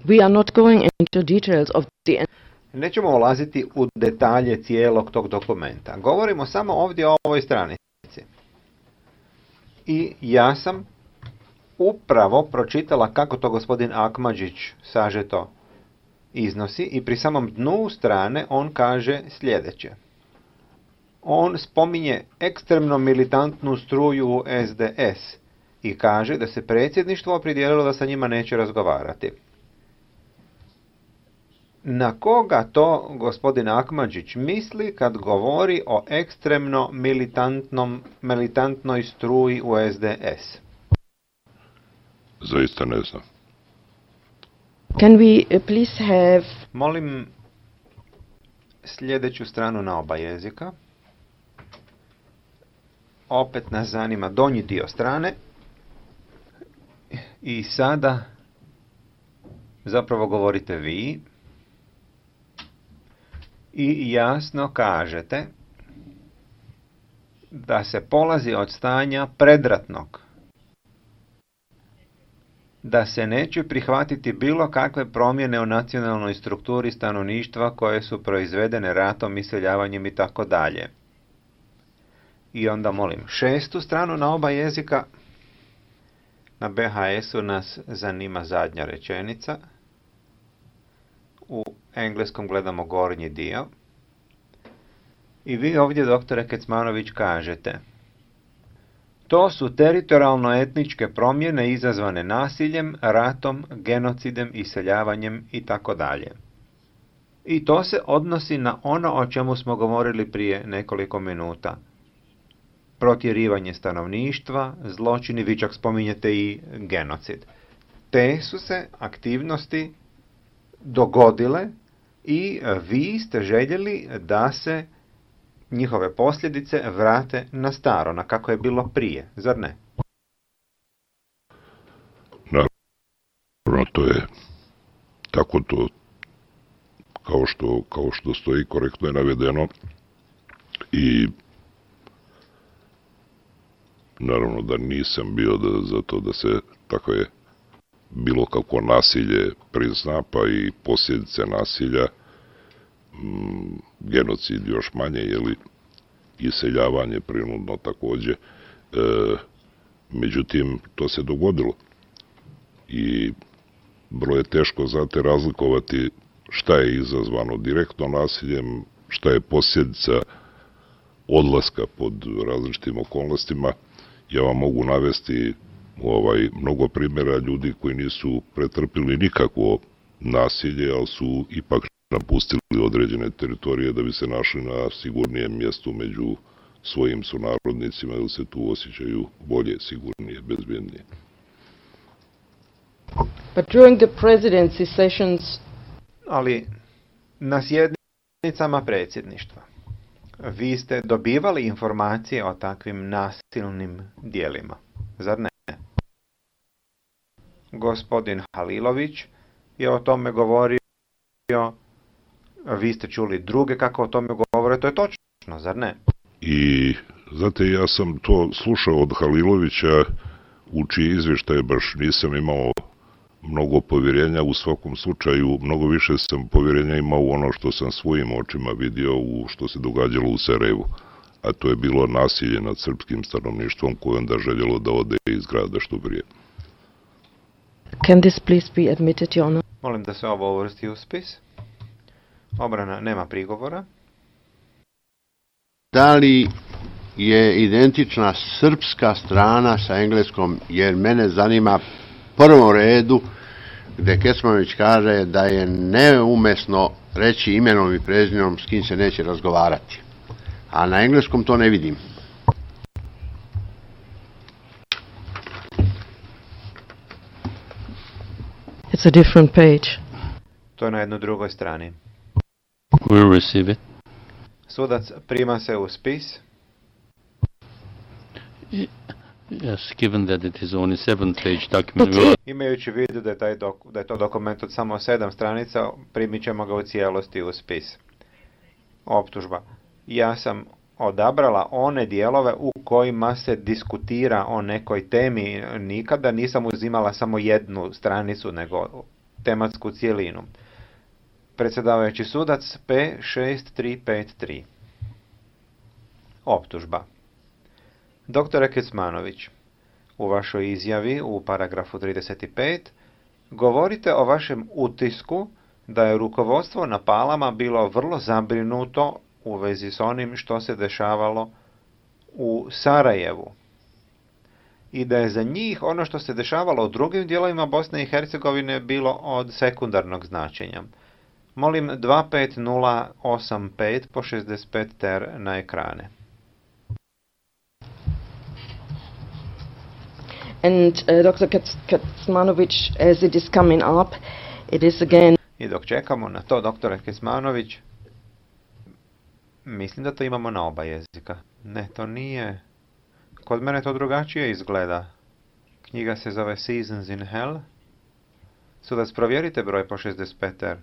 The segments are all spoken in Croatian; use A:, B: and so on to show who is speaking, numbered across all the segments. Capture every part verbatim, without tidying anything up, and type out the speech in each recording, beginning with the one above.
A: We are not going into details of the...
B: Nećemo ulaziti u detalje cijelog tog dokumenta. Govorimo samo ovdje o ovoj stranici. I ja sam upravo pročitala kako to gospodin Akmadžić sažeto iznosi i pri samom dnu strane on kaže sljedeće. On spominje ekstremno militantnu struju u S D S i kaže da se predsjedništvo opredijelilo da sa njima neće razgovarati. Na koga to gospodin Akmadžić misli kad govori o ekstremno militantnom, militantnoj struji u S D S?
C: Zaista ne znam.
A: Can we uh, please have...
B: Molim sljedeću stranu na oba jezika. Opet nas zanima donji dio strane. I sada zapravo govorite vi. I jasno kažete da se polazi od stanja predratnog. Da se neće prihvatiti bilo kakve promjene u nacionalnoj strukturi stanovništva koje su proizvedene ratom, iseljavanjem i tako dalje. I onda molim šestu stranu na oba jezika. Na B H S-u nas zanima zadnja rečenica. U engleskom gledamo gornji dio. I vi ovdje, doktore Kecmanović, kažete: to su teritorijalno-etničke promjene izazvane nasiljem, ratom, genocidem, iseljavanjem i tako dalje. I to se odnosi na ono o čemu smo govorili prije nekoliko minuta. Protjerivanje stanovništva, zločini, vi čak spominjete i genocid. Te su se aktivnosti dogodile i vi ste željeli da se njihove posljedice vrate na staro, na kako je bilo prije, zar ne?
C: Naravno, to je tako to, kao što, kao što stoji, korektno je navedeno i naravno da nisam bio da, za to da se tako je bilo kako nasilje prizna, pa i posljedice nasilja, m, genocid još manje, jeli, iseljavanje prinudno također. E, međutim, to se dogodilo. I vrlo je teško, znate, razlikovati šta je izazvano direktno nasiljem, šta je posljedica odlaska pod različitim okolnostima. Ja vam mogu navesti ovaj, mnogo primjera ljudi koji nisu pretrpili nikakvo nasilje, ali su ipak napustili određene teritorije da bi se našli na sigurnijem mjestu među svojim sunarodnicima ili se tu osjećaju bolje, sigurnije, bezbjednije.
A: But during the presidency sessions...
B: Ali na sjednicama predsjedništva vi ste dobivali informacije o takvim nasilnim dijelima, zar ne? Gospodin Halilović je o tome govorio, vi ste čuli druge kako o tome govore, to je točno, zar ne?
C: I, znate, ja sam to slušao od Halilovića, u čiji izvještaj baš nisam imao mnogo povjerenja, u svakom slučaju mnogo više sam povjerenja imao u ono što sam svojim očima vidio, u što se događalo u Sarajevu, a to je bilo nasilje nad srpskim stanovništvom koje onda željelo da ode iz grada što prije.
A: Can this please be admitted, Your Honor?
B: Molim da se ovo uvrsti u spis. Obrana nema prigovora.
D: Da li je identična srpska strana sa engleskom, jer mene zanima prvom redu gdje Kecmanović kaže da je neumesno reći imenom i prezimenom s kim se neće razgovarati. A na engleskom to ne vidim.
A: It's a different page.
B: To je na jednoj drugoj strani.
E: We'll receive it.
B: Sudac prima se u spis.
E: Yes, given that it is only seven page document. We'll...
B: Imajući u vidu da je, taj dok, da je to dokument od samo sedam stranica, primit ćemo ga u cijelosti u spis. Optužba. Ja sam odabrala one dijelove u kojima se diskutira o nekoj temi. Nikada nisam uzimala samo jednu stranicu, nego tematsku cijelinu. Predsjedavajući sudac P šest tri pet tri. Optužba. Doktore Kecmanović, u vašoj izjavi u paragrafu trideset pet govorite o vašem utisku da je rukovodstvo na Palama bilo vrlo zabrinuto u vezi s onim što se dešavalo u Sarajevu i da je za njih ono što se dešavalo u drugim dijelovima Bosne i Hercegovine bilo od sekundarnog značenja. Molim dva pet nula osam pet po šezdeset pet ter na ekrane.
A: And uh, doctor Kecmanović, as it is coming up, it is again...
B: I dok čekamo na to, doktore Kecmanović, mislim da to imamo na oba jezika. Ne, to nije... Kod mene to drugačije izgleda. Knjiga se zove Seasons in Hell. Sudac, provjerite broj po šezdeset pet ter.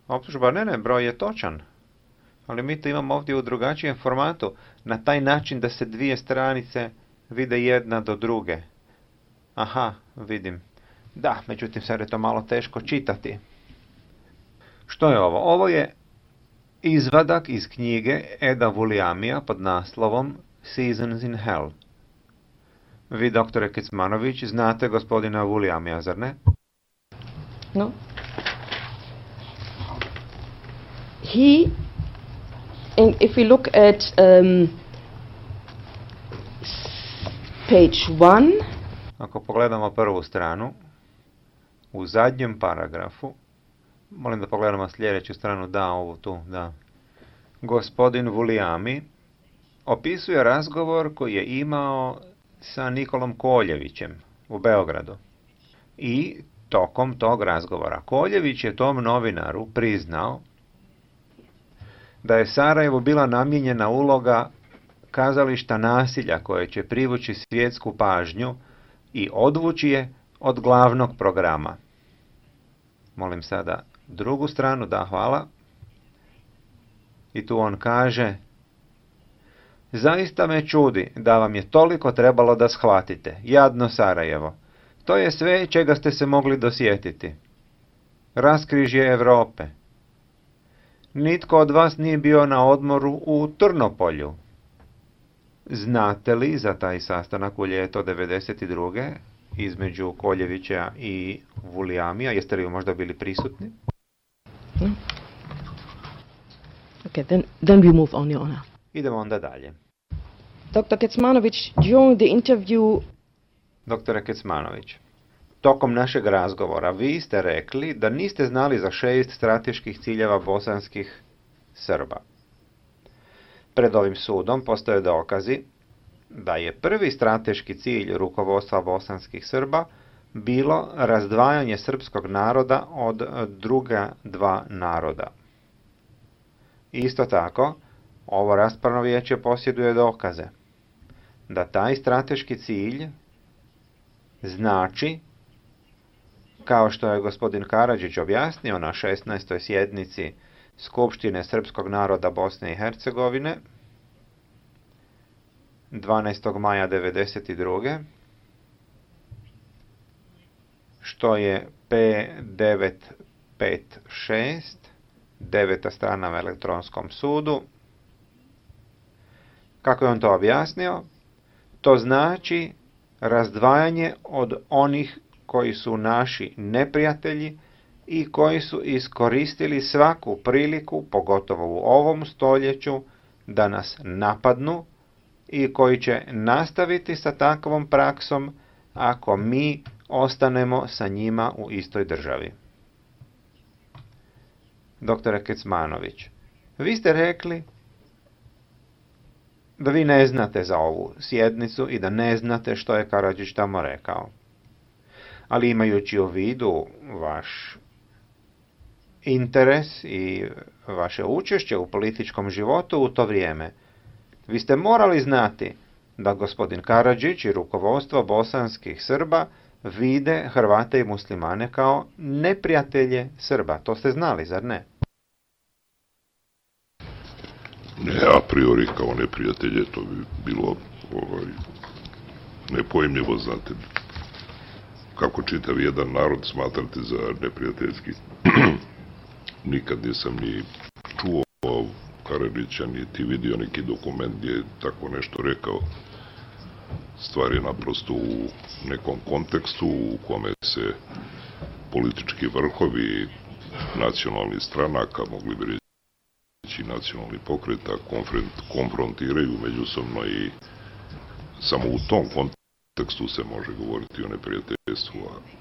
B: Optužba, ne, ne, broj je točan. Ali mi to imamo ovdje u drugačijem formatu, na taj način da se dvije stranice vide jedna do druge. Aha, vidim. Da, međutim, sad je to malo teško čitati. Što je ovo? Ovo je izvadak iz knjige Eda Vuliamija pod naslovom Seasons in Hell. Vi, doktore Kecmanović, znate gospodina Vuliamija, zar ne?
A: No. He, and if we look at um, page one,
B: ako pogledamo prvu stranu, u zadnjem paragrafu, molim da pogledamo sljedeću stranu, da, ovu tu, da. Gospodin Vulijami opisuje razgovor koji je imao sa Nikolom Koljevićem u Beogradu. I tokom tog razgovora Koljević je tom novinaru priznao da je Sarajevu bila namijenjena uloga kazališta nasilja koje će privući svjetsku pažnju i odvući je od glavnog programa. Molim sada drugu stranu, da, hvala. I tu on kaže: zaista me čudi da vam je toliko trebalo da shvatite, jadno Sarajevo. To je sve čega ste se mogli dosjetiti. Raskrižje Europe. Nitko od vas nije bio na odmoru u Trnopolju. Znate li za taj sastanak u ljeto devedeset druge između Koljevića i Vulijamija? Jeste li možda bili prisutni?
A: No. Okay, then, then we move on, Your Honor.
B: Idemo onda dalje.
A: doctor Kecmanović, during the interview...
B: Doktore Kecmanović, tokom našeg razgovora vi ste rekli da niste znali za šest strateških ciljeva bosanskih Srba. Pred ovim sudom postoje dokazi da je prvi strateški cilj rukovodstva bosanskih Srba bilo razdvajanje srpskog naroda od druga dva naroda. Isto tako, ovo raspravno vijeće posjeduje dokaze da taj strateški cilj znači, kao što je gospodin Karadžić objasnio na šesnaestoj sjednici Skupštine Srpskog naroda Bosne i Hercegovine dvanaestog maja devedeset druge, što je P devet pet šest, deveta strana u elektronskom sudu. Kako je on to objasnio? To znači razdvajanje od onih koji su naši neprijatelji i koji su iskoristili svaku priliku, pogotovo u ovom stoljeću, da nas napadnu i koji će nastaviti sa takvom praksom ako mi ostanemo sa njima u istoj državi. Doktore Kecmanović, vi ste rekli da vi ne znate za ovu sjednicu i da ne znate što je Karadžić tamo rekao. Ali imajući u vidu vaš interes i vaše učešće u političkom životu u to vrijeme, vi ste morali znati da gospodin Karadžić i rukovodstvo bosanskih Srba vide Hrvate i muslimane kao neprijatelje Srba. To ste znali, zar ne?
C: Ne, a priori kao neprijatelje, to bi bilo ovaj, nepojmljivo, znate. kako čitav jedan narod smatrati za neprijateljski. Nikad nisam ni čuo Karadžića, niti vidio neki dokument gdje je tako nešto rekao. Stvar je naprosto u nekom kontekstu u kome se politički vrhovi nacionalnih stranaka, mogli bi reći nacionalni pokreta, konfrontiraju međusobno i samo u tom kontekstu se može govoriti o neprijateljstvu, a